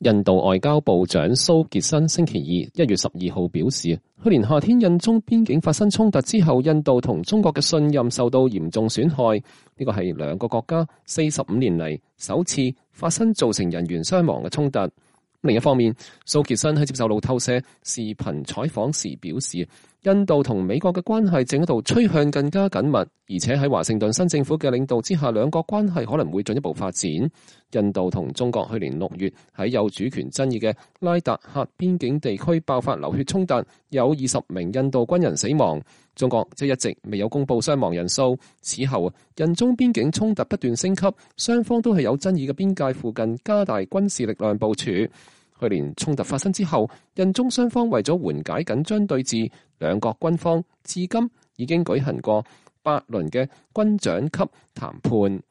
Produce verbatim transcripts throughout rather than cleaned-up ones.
印度外交部長蘇傑生星期二一月十二號表示，去年夏天印中邊境發生衝突之後，印度同中國嘅信任受到嚴重損害。呢個係兩個國家四十五年嚟首次發生造成人員傷亡嘅衝突。另一方面，蘇傑生喺接受路透社視頻採訪時表示，印度同美國嘅關係正喺度趨向更加緊密，而且喺華盛頓新政府嘅領導之下，兩國關係可能會進一步發展。印度同中國去年六月喺有主權爭議嘅拉達克邊境地區爆發流血衝突，有二十名印度軍人死亡。中國即一直未有公布傷亡人數。此後，印中邊境衝突不斷升級，雙方都係有爭議嘅邊界附近加大軍事力量部署。去年衝突發生之後，印中雙方為咗緩解緊張對峙，兩國軍方至今已經舉行過八輪嘅軍長級談判。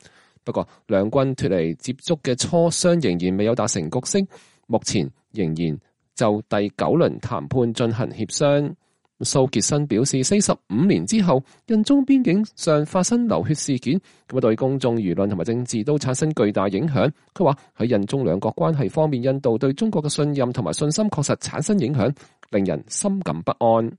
不過，兩軍脫離接觸嘅磋商仍然未有達成共識，目前仍然就第九輪談判進行協商。蘇傑生表示，四十五年之後，印中邊境上發生流血事件，咁啊對公眾輿論同埋政治都產生巨大影響。佢話喺印中兩國關係方面，印度對中國嘅信任同埋信心確實產生影響，令人深感不安。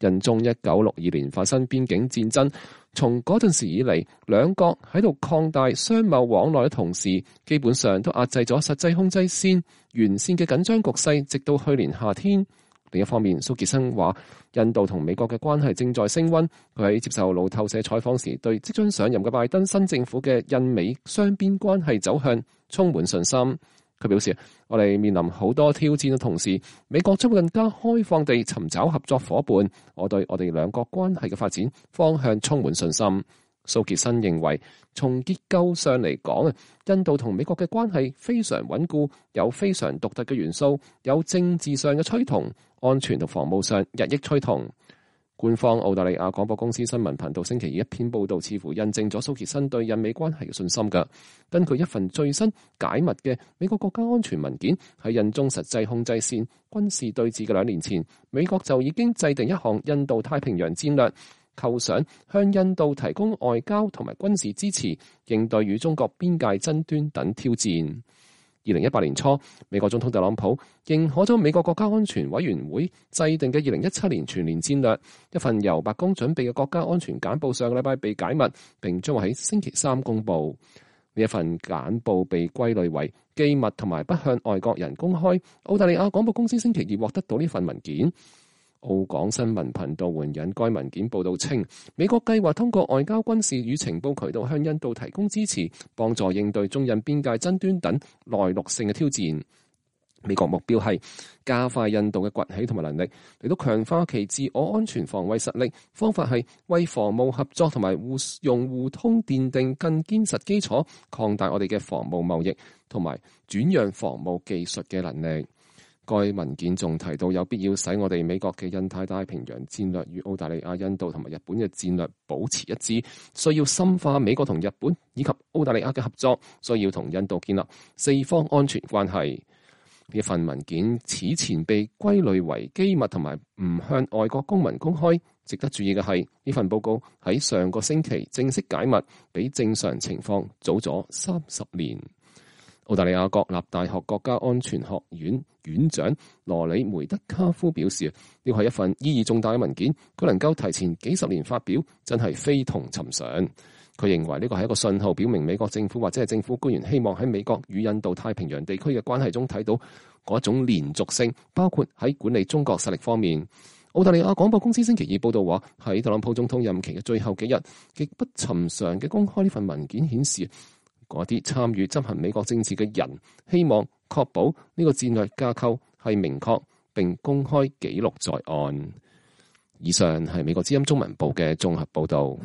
印中一九六二年發生邊境戰爭，從嗰陣時以嚟，兩國喺度擴大商貿往來嘅同時，基本上都壓制咗實際控制線沿線嘅緊張局勢，直到去年夏天。另一方面，蘇傑生話，印度同美國嘅關係正在升溫。佢喺接受路透社採訪時，對即將上任嘅拜登新政府嘅印美雙邊關係走向充滿信心。佢表示，我哋面臨好多挑戰嘅同時，美國將會更加開放地尋找合作夥伴。我對我哋兩國關係嘅發展方向充滿信心。蘇傑生認為，從結構上嚟講，印度同美國嘅關係非常穩固，有非常獨特嘅元素，有政治上嘅趨同，安全同防務上日益趨同。官方澳大利亞廣播公司新聞頻道星期二一篇報道，似乎印證咗蘇傑生對印美關係嘅信心㗎。根據一份最新解密嘅美國國家安全文件，喺印中實際控制線軍事對峙嘅兩年前，美國就已經制定一項印度太平洋戰略，構想向印度提供外交同埋軍事支持，應對與中國邊界爭端等挑戰。二零一八年初，美國總統特朗普認可咗美國國家安全委員會制定嘅二零一七年全年戰略。一份由白宮準備嘅國家安全簡報上個禮拜被解密，並將會喺星期三公佈。呢一份簡報被歸類為機密同埋不向外國人公開。澳大利亞廣播公司星期二獲得到呢份文件。澳港新聞頻道援引該文件報道稱，美國計劃通過外交、軍事與情報渠道向印度提供支持，幫助應對中印邊界爭端等內陸性嘅挑戰。美國目標係加快印度嘅崛起同埋能力，嚟到強化其自我安全防衛實力。方法係為防務合作同埋互用互通奠定更堅實基礎，擴大我哋嘅防務貿易同埋轉讓防務技術嘅能力。該文件仲提到，有必要使我哋美國嘅印太太平洋戰略與澳大利亞、印度同埋日本嘅戰略保持一致，需要深化美國同日本以及澳大利亞嘅合作，需要同印度建立四方安全關係。呢份文件此前被歸類為機密同埋唔向外國公民公開。值得注意嘅係，呢份報告喺上個星期正式解密，比正常情況早咗三十年。澳大利亞國立大學國家安全學院院長羅里梅德卡夫表示，呢個係一份意義重大嘅文件，佢能夠提前幾十年發表，真係非同尋常。佢認為呢個係一個信號，表明美國政府或者係政府官員希望喺美國與印度太平洋地區嘅關係中睇到嗰種連續性，包括喺管理中國實力方面。澳大利亞廣播公司星期二報道話，喺特朗普總統任期嘅最後幾日，極不尋常嘅公開呢份文件顯示，嗰啲參與執行美國政治嘅人希望確保呢個戰略架構係明確並公開記錄在案。以上係美國之音中文部嘅綜合報導。